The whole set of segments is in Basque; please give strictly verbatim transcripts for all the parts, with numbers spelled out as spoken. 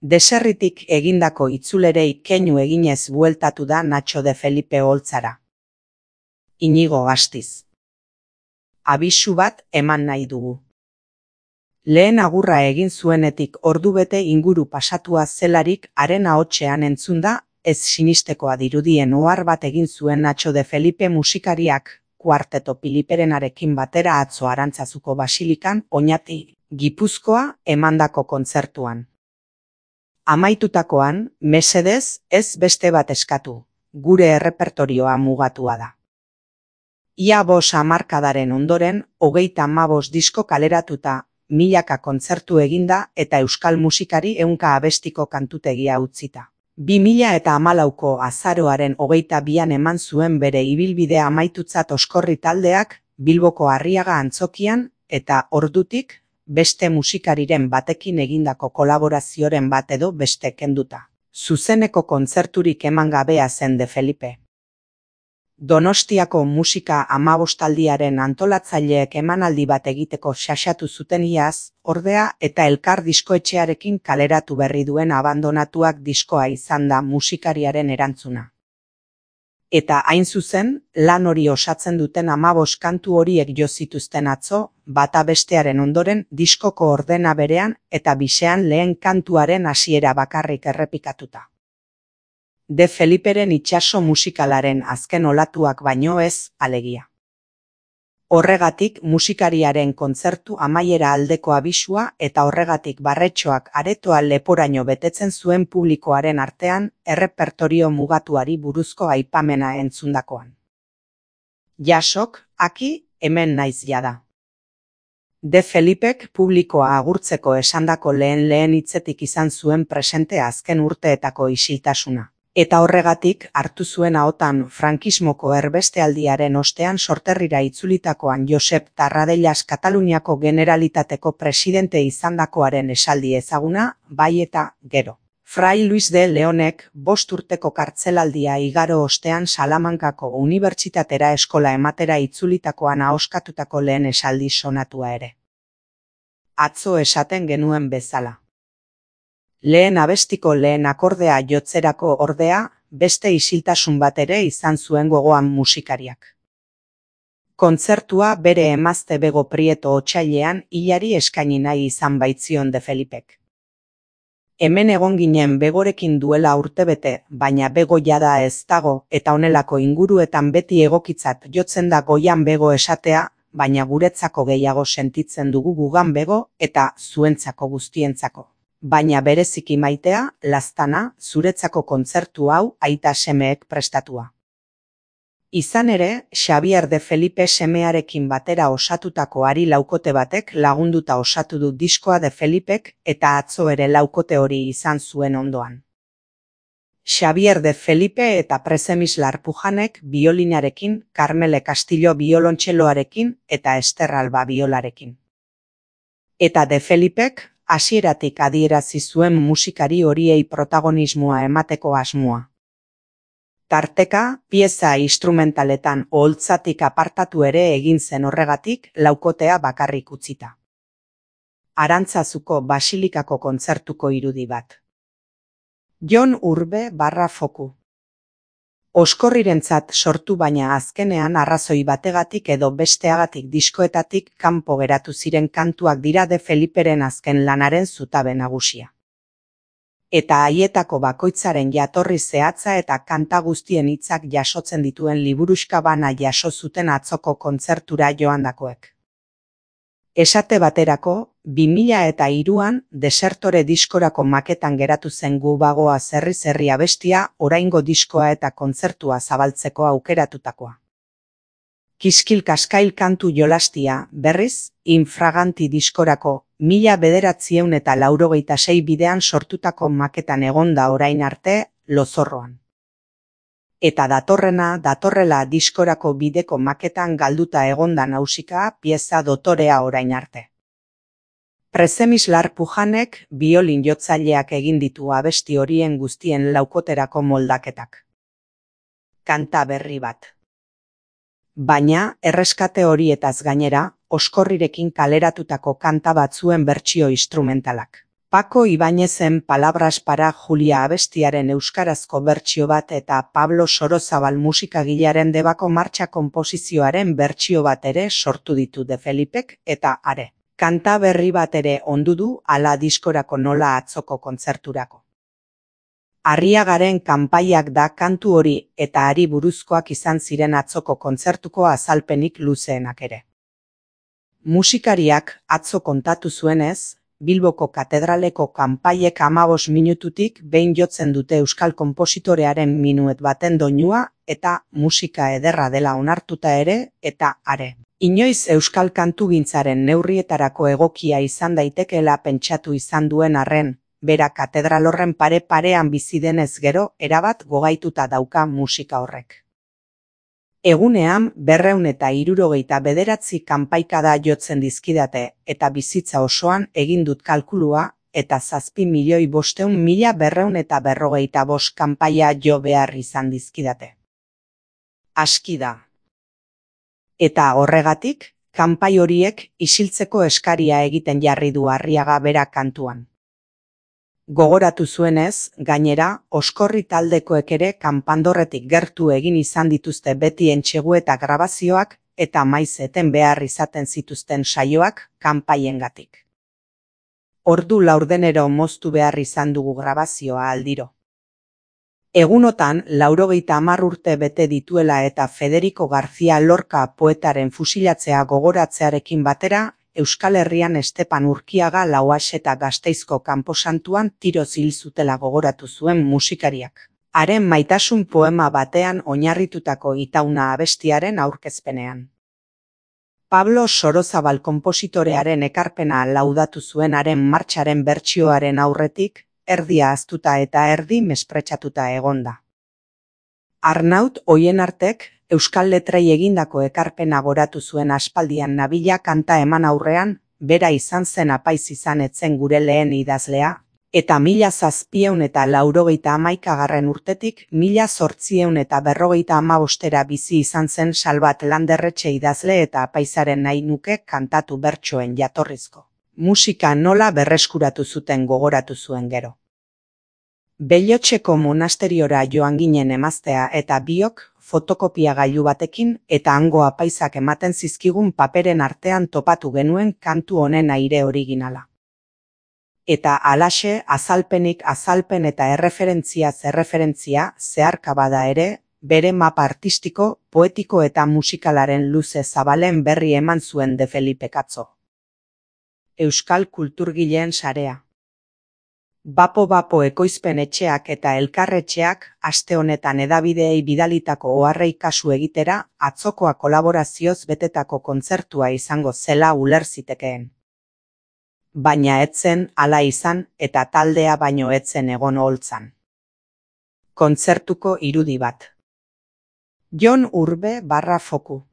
Deserritik egindako itzulerei keinu eginez bueltatu da Nacho de Felipe oholtzara. Inigo Gastiz. Abisu bat eman nahi dugu. Lehen agurra egin zuenetik ordubete inguru pasatua zelarik haren ahotsean entzunda, ez sinistekoa dirudien ohar bat egin zuen Nacho de Felipe musikariak, kuarteto Piliperenarekin batera atzo Arantzazuko basilikan, Oñati, Gipuzkoa, emandako kontzertuan. Amaitutakoan, mesedez, ez beste bat eskatu, gure errepertorioa mugatua da. Ia bost hamarkadaren ondoren, hogeita hamabost disko kaleratuta, milaka kontzertu eginda eta euskal musikari ehunka abestiko kantutegia utzita. Bi mila eta hamalauko azaroaren hogeita bian eman zuen bere ibilbidea amaitutzat Oskorri taldeak, Bilboko Arriaga antzokian, eta ordutik, beste musikariren batekin egindako kolaborazioren bat edo beste kenduta. Zuzeneko kontzerturik eman gabea zen de Felipe. Donostiako musika hamabostaldiaren antolatzaileek emanaldi bat egiteko xaxatu zuten iaz, ordea eta Elkar diskoetxearekin kaleratu berri duen Abandonatuak diskoa izan da musikariaren erantzuna. Eta hain zuzen, lan hori osatzen duten hamabost kantu horiek jo zituzten atzo, bata bestearen ondoren diskoko ordena berean eta bisean lehen kantuaren hasiera bakarrik errepikatuta. De Feliperen itsaso musikalaren azken olatuak baino ez, alegia. Horregatik musikariaren kontzertu amaiera aldeko abisua eta horregatik Barretxoak aretoa leporaino betetzen zuen publikoaren artean errepertorio mugatuari buruzko aipamena entzundakoan. Jasok, aki, hemen naiz jada. De Felipek publikoa agurtzeko esandako lehen lehen hitzetik izan zuen presente azken urteetako isiltasuna. Eta horregatik hartu zuen ahotan frankismoko erbestealdiaren ostean sorterrira itzulitakoan Josep Tarradellas Kataluniako Generalitateko presidente izandakoaren esaldi ezaguna, bai eta gero. Fray Luis de Leonek bost urteko kartzelaldia igaro ostean Salamankako unibertsitatera eskola ematera itzulitakoan ahoskatutako lehen esaldi sonatua ere. Atzo esaten genuen bezala. Lehen abestiko lehen akordea jotzerako ordea, beste isiltasun bat ere izan zuen gogoan musikariak. Kontzertua bere emazte Bego Prieto otsailean hilari eskaini nahi izan baitzion de Felipek. Hemen egon ginen Begorekin duela urtebete, baina Bego jada ez dago eta honelako inguruetan beti egokitzat jotzen da goian Bego esatea, baina guretzako gehiago sentitzen dugu gugan Bego eta zuentzako guztientzako. Baina bereziki maitea, laztana, zuretzako kontzertu hau aita semeek prestatua. Izan ere, Xabier de Felipe semearekin batera osatutako ari laukote batek lagunduta osatu du diskoa de Felipek eta atzo ere laukote hori izan zuen ondoan. Xabier de Felipe eta Presemislar Pujanek biolinarekin, Carmele Castillo biolontxeloarekin eta Ester Alba biolarekin. Eta de Felipek, hasieratik adierazi zuen musikari horiei protagonismoa emateko asmoa. Tarteka, pieza instrumentaletan oholtzatik apartatu ere egin zen horregatik laukotea bakarrik utzita. Arantzazuko basilikako kontzertuko irudi bat. Jon Urbe barra foku. Oskorrirentzat sortu baina azkenean arrazoi bategatik edo besteagatik diskoetatik kanpo geratu ziren kantuak dira de Feliperen azken lanaren zutabe nagusia. Eta haietako bakoitzaren jatorri zehatza eta kanta guztien hitzak jasotzen dituen liburuxka bana jaso zuten atzoko kontzertura joandakoek. Esate baterako, bi mila eta hiruan Desertore diskorako maketan geratu zen Gu bagoa zerri zerri abestia oraingo diskoa eta kontzertua zabaltzeko aukeratutakoa. Kiskil kaskail kantu jolastia, berriz, Infraganti diskorako mila bederatziehun eta laurogeita sei bidean sortutako maketan egonda orain arte, Lozorroan. Eta datorrena, datorrela diskorako bideko maketan galduta egonda nausika pieza dotorea orain arte. Presemislar Pujanek biolin jotzaileak egin ditu abesti horien guztien laukoterako moldaketak. Kanta berri bat. Baina, erreskate horietaz gainera, Oskorrirekin kaleratutako kanta batzuen bertsio instrumentalak. Paco Ibáñezen Palabras para Julia abestiaren euskarazko bertsio bat eta Pablo Sorozabal musikagilearen Debako martxa konposizioaren bertsio bat ere sortu ditu De Felipek eta are. Kanta berri bat ere ondu du ala diskorako nola atzoko kontzerturako. Arriagaren kanpaiak da kantu hori eta hari buruzkoak izan ziren atzoko kontzertuko azalpenik luzeenak ere. Musikariak atzo kontatu zuenez, Bilboko katedraleko kanpaiek hamabos minututik behin jotzen dute euskal konpositorearen minuet baten doinua eta musika ederra dela onartuta ere eta are. Inoiz euskal kantugintzaren neurrietarako egokia izan daitekeela pentsatu izan duen arren, bera katedral horren pare-parean bizi denez gero erabat gogaituta dauka musika horrek. Egunean berrehun eta hirurogeita bederatzi kanpaikada jotzen dizkidate eta bizitza osoan egin dut kalkulua eta zazpi milioi bosteun mila berrehun eta berrogeita bost kanpaia jo behar izan dizkidate. Aski da. Eta horregatik, kanpai horiek isiltzeko eskaria egiten jarri du Arriaga bera kantuan. Gogoratu zuenez, gainera, Oskorri taldekoek ere kanpandorretik gertu egin izan dituzte beti entsegu eta grabazioak eta maiz eten behar izaten zituzten saioak kanpaiengatik. Ordu laurdenero moztu behar izan dugu grabazioa aldiro. Egunotan, laurogeita hamar urte bete dituela eta Federico García Lorca poetaren fusilatzea gogoratzearekin batera, Euskal Herrian Estepan Urkiaga Lauax eta Gasteizko kanposantuan tiroz hil zutela gogoratu zuen musikariak. Haren maitasun poema batean oinarritutako Itauna abestiaren aurkezpenean. Pablo Sorozabal konpositorearen ekarpena laudatu zuen haren martxaren bertsioaren aurretik, erdia ahaztuta eta erdi mespretxatuta egonda. Arnaut Oienartek euskal letrei egindako ekarpena goratu zuen aspaldian nabila kanta eman aurrean, bera izan zen apaiz izan etzen gure lehen idazlea, eta mila zazpieun eta laurogeita hamaikagarren urtetik mila zortzieun eta berrogeita hamabostera bizi izan zen Salvat Landerretxe idazle eta apaizaren nahi nuke kantatu bertsoen jatorrizko. Musika nola berreskuratu zuten gogoratu zuen gero. Bellotxeko monasteriora joan ginen emaztea eta biok fotokopia gailu batekin eta hango apaizak ematen zizkigun paperen artean topatu genuen kantu honen aire originala. Eta halaxe azalpenik azalpen eta erreferentziaz erreferentzia zeharka bada ere, bere mapa artistiko, poetiko eta musikalaren luze zabalen berri eman zuen De Felipek atzo. Euskal Kulturgileen Sarea. Bapo-bapo ekoizpen etxeak eta elkarretxeak aste honetan hedabideei bidalitako oharrei kasu egitera atzokoa kolaborazioz betetako kontzertua izango zela uler zitekeen. Baina etzen hala izan eta taldea baino etzen egon oholtzan. Kontzertuko irudi bat. Jon Urbe barra foku.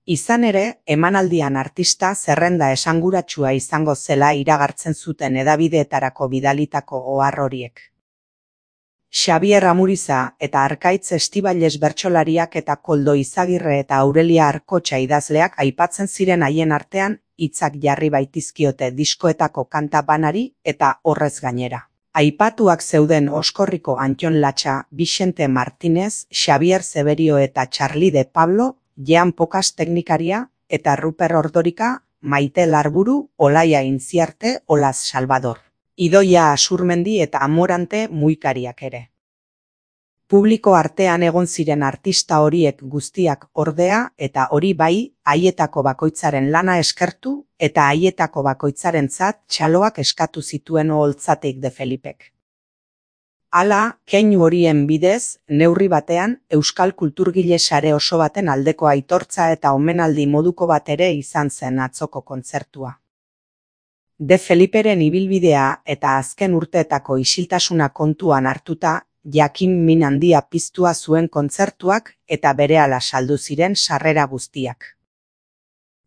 Izan ere, emanaldian artista zerrenda esanguratsua izango zela iragartzen zuten hedabideetarako bidalitako ohar horiek. Xabier Amuriza eta Arkaitz Estibailes bertsolariak eta Koldo Izagirre eta Aurelia Arkotxa idazleak aipatzen ziren haien artean hitzak jarri baitizkiote diskoetako kanta banari eta horrez gainera. Aipatuak zeuden Oskorriko Antton Latxa, Vicente Martínez, Xabier Zeberio eta Charlie de Pablo, Jean Pokas teknikaria eta Ruper Ordorika, Maite Larburu, Olaia Intziarte, Olaz Salvador. Idoia Asurmendi eta Amorante muikariak ere. Publiko artean egon ziren artista horiek guztiak ordea eta hori bai, haietako bakoitzaren lana eskertu eta haietako bakoitzarentzat txaloak eskatu zituen oholtzatik De Felipek. Hala, keinu horien bidez, neurri batean, Euskal Kulturgile Sare oso baten aldeko aitortza eta omenaldi moduko bat ere izan zen atzoko kontzertua. De Feliperen ibilbidea eta azken urteetako isiltasuna kontuan hartuta, jakin min handia piztua zuen kontzertuak eta berehala saldu ziren sarrera guztiak.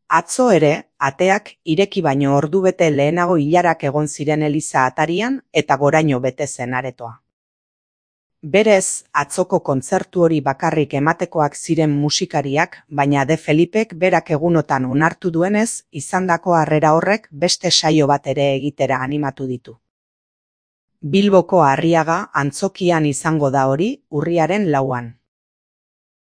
Atzo ere, ateak ireki baino ordubete lehenago ilarak egon ziren eliza atarian eta goraino bete zen aretoa. Berez, atzoko kontzertu hori bakarrik ematekoak ziren musikariak, baina De Felipek berak egunotan onartu duenez, izandako harrera horrek beste saio bat ere egitera animatu ditu. Bilboko Arriaga antzokian izango da hori urriaren lauan.